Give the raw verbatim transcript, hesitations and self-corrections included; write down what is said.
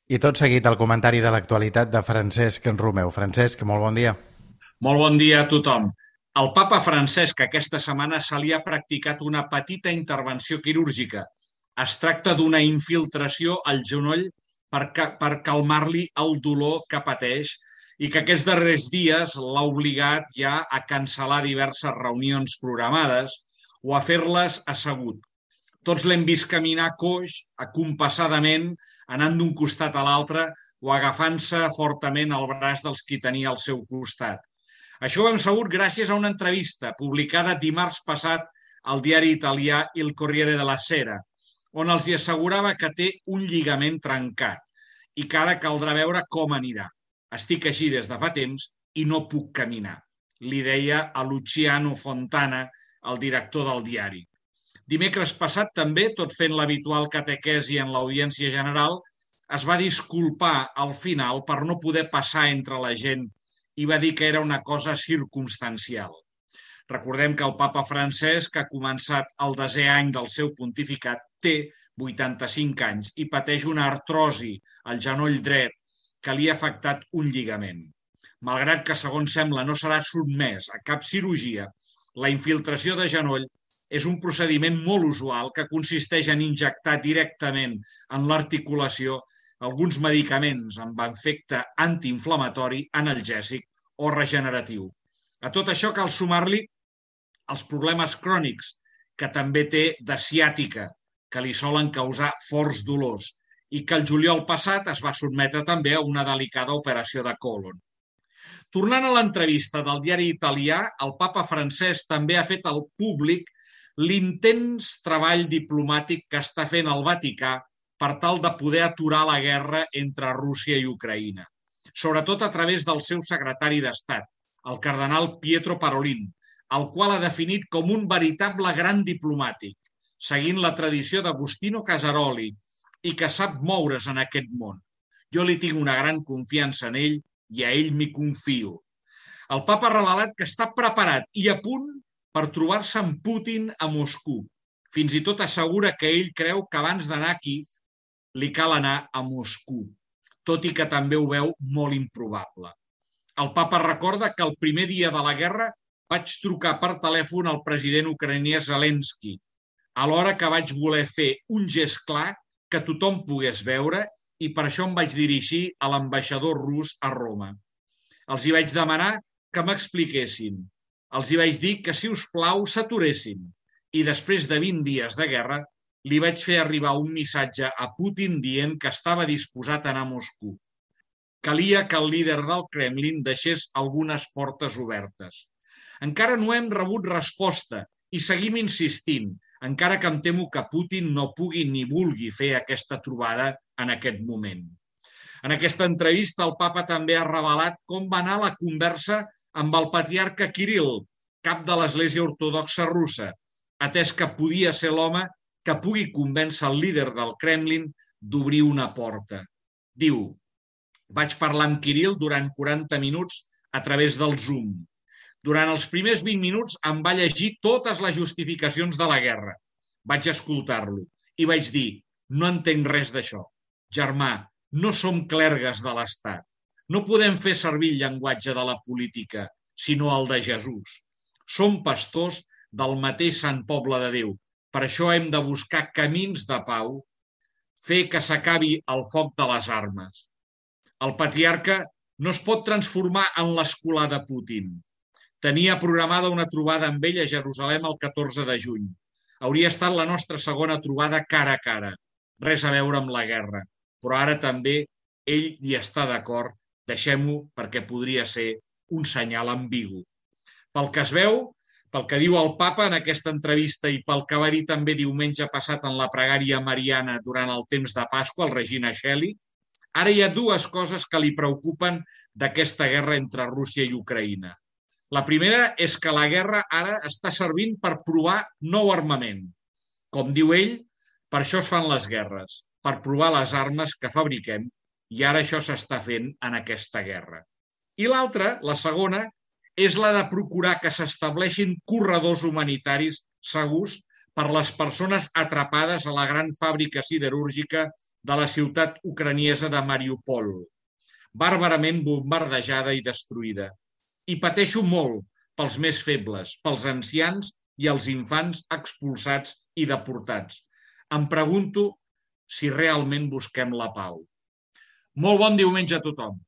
I tot seguit el comentari de l'actualitat de Francesc Romeu. Francesc, molt bon dia. Molt bon dia a tothom. El papa Francesc aquesta setmana se li ha practicat una petita intervenció quirúrgica. Es tracta d'una infiltració al genoll per, ca per calmar-li el dolor que pateix i que aquests darrers dies l'ha obligat ja a cancel·lar diverses reunions programades o a fer-les assegut. Tots l'hem vist caminar coix, acompassadament, anant d'un costat a l'altre o agafant-se fortament al braç dels qui tenia al seu costat. Això ho hem sabut gràcies a una entrevista publicada dimarts passat al diari italià Il Corriere della Sera, on els hi assegurava que té un lligament trencat i que ara caldrà veure com anirà. Estic així des de fa temps i no puc caminar, li deia a Luciano Fontana, el director del diari. Dimecres passat també, tot fent l'habitual catequesi en l'audiència general, es va disculpar al final per no poder passar entre la gent i va dir que era una cosa circumstancial. Recordem que el papa Francesc ha començat el desè any del seu pontificat, té vuitanta-cinc anys i pateix una artrosi al genoll dret que li ha afectat un lligament. Malgrat que, segons sembla, no serà sotmès a cap cirurgia, la infiltració de genoll és un procediment molt usual que consisteix en injectar directament en l'articulació alguns medicaments amb efecte antiinflamatori, analgèsic o regeneratiu. A tot això cal sumar-li els problemes crònics que també té de ciàtica, que li solen causar forts dolors i que el juliol passat es va sotmetre també a una delicada operació de còlon. Tornant a l'entrevista del diari italià, el papa Francesc també ha fet al públic l'intens treball diplomàtic que està fent el Vaticà per tal de poder aturar la guerra entre Rússia i Ucraïna, sobretot a través del seu secretari d'Estat, el cardenal Pietro Parolin, el qual ha definit com un veritable gran diplomàtic, seguint la tradició d'Agostino Casaroli i que sap moure's en aquest món. Jo li tinc una gran confiança en ell i a ell m'hi confio. El papa ha revelat que està preparat i a punt per trobar-se amb Putin a Moscou. Fins i tot assegura que ell creu que abans d'anar a Kíev li cal anar a Moscou, tot i que també ho veu molt improbable. El papa recorda que el primer dia de la guerra vaig trucar per telèfon al president ucraïnès Zelensky, alhora que vaig voler fer un gest clar que tothom pogués veure i per això em vaig dirigir a l'ambaixador rus a Roma. Els hi vaig demanar que m'expliquessin. Els hi vaig dir que, si us plau, s'aturessin. I després de vint dies de guerra, li vaig fer arribar un missatge a Putin dient que estava disposat a anar a Moscou. Calia que el líder del Kremlin deixés algunes portes obertes. Encara no hem rebut resposta i seguim insistint, encara que em temo que Putin no pugui ni vulgui fer aquesta trobada en aquest moment. En aquesta entrevista, el papa també ha revelat com va anar la conversa amb el patriarca Kirill, cap de l'Església Ortodoxa Russa, atès que podia ser l'home que pugui convèncer el líder del Kremlin d'obrir una porta. Diu, vaig parlar amb Kirill durant quaranta minuts a través del Zoom. Durant els primers vint minuts em va llegir totes les justificacions de la guerra. Vaig escoltar-lo i vaig dir, no entenc res d'això. Germà, no som clergues de l'Estat. No podem fer servir el llenguatge de la política, sinó el de Jesús. Som pastors del mateix sant poble de Déu. Per això hem de buscar camins de pau, fer que s'acabi el foc de les armes. El patriarca no es pot transformar en l'escolà de Putin. Tenia programada una trobada amb ell a Jerusalem el catorze de juny. Hauria estat la nostra segona trobada cara a cara. Res a veure amb la guerra. Però ara també ell hi està d'acord. Deixem-ho perquè podria ser un senyal ambigu. Pel que es veu, pel que diu el papa en aquesta entrevista i pel que va dir també diumenge passat en la pregària mariana durant el temps de Pasqua, el Regina Coeli, ara hi ha dues coses que li preocupen d'aquesta guerra entre Rússia i Ucraïna. La primera és que la guerra ara està servint per provar nou armament. Com diu ell, per això es fan les guerres, per provar les armes que fabriquem, i ara això s'està fent en aquesta guerra. I l'altra, la segona, és la de procurar que s'estableixin corredors humanitaris segurs per les persones atrapades a la gran fàbrica siderúrgica de la ciutat ucraniesa de Mariupol, bàrbarament bombardejada i destruïda. I pateixo molt pels més febles, pels ancians i els infants expulsats i deportats. Em pregunto si realment busquem la pau. Molt bon diumenge a tothom.